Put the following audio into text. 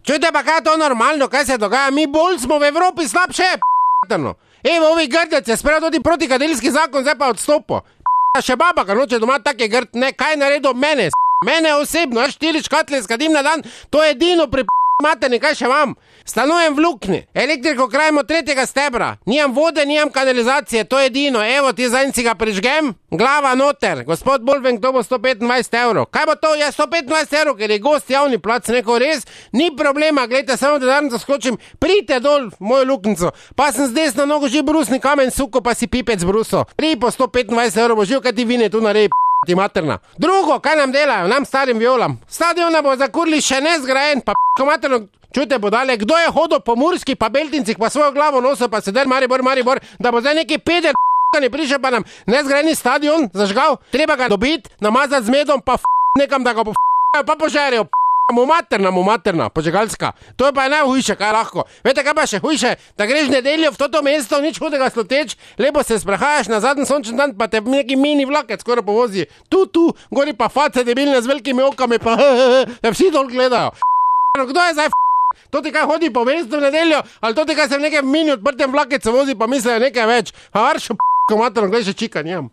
Čujte pa, kaj je to normalno, kaj se dogaja? Mi bolj smo v Evropi slabše, p***tano. Evo, ovi Grdec je sprejel tudi protikadilski zakon, zdaj pa odstopo. Še baba, ga noče doma tak je grd, ne, kaj je naredil mene, mene osebno, 4 škatle skadim na dan, to je edino pri materni, kaj še imam? Stanujem v luknji, elektriko krajimo 3. stebra, nijam vode, nijam kanalizacije, to je edino, evo ti zanj si ga prižgem, glava noter, gospod Bolvenk, to bo 125 evrov. Kaj bo to? Ja, 125 evrov, ker je gost javni plac, neko res, ni problema, gledajte, samo da danes skočim, pridite dol v mojo luknico, pa sem z desno nogo že brusni kamen suko, pa si pipec bruso. Pri po 125 evrov bo živ, kaj ti vine tu nareji, ti materna. Drugo, kaj nam delajo, nam starim violam? Stadiona bo zakurli še ne zgrajen, pa materno. Čujte bodale, kdo je hodil po Murski pa Beltincih pa svojo glavo nosil pa sedel Maribor, da bo zdaj neki peder ne prišel pa nam nezgrajeni stadion zažgal, treba ga dobiti, namazati z medom pa nekam, da ga po pa požarijo, mu materna, požegalska. To je pa najhujše, kaj lahko. Vete, kaj pa še hujše, da greš nedeljo v toto mesto, nič hudega sluteč, lepo se sprehajaš na zadnji sončen dan, pa te neki mini vlakec skoraj povozi. Tu, gori pa face debilne z velikimi okami, pa da vsi dol gledajo. Kdo je zdaj to ti kaj hodi po mestu v nedeljo, ali to ti kaj se v nekem mini odprtem vlakecu vozi, pa mislijo nekaj več. A varšo, materno, gledaj še čika, nijam.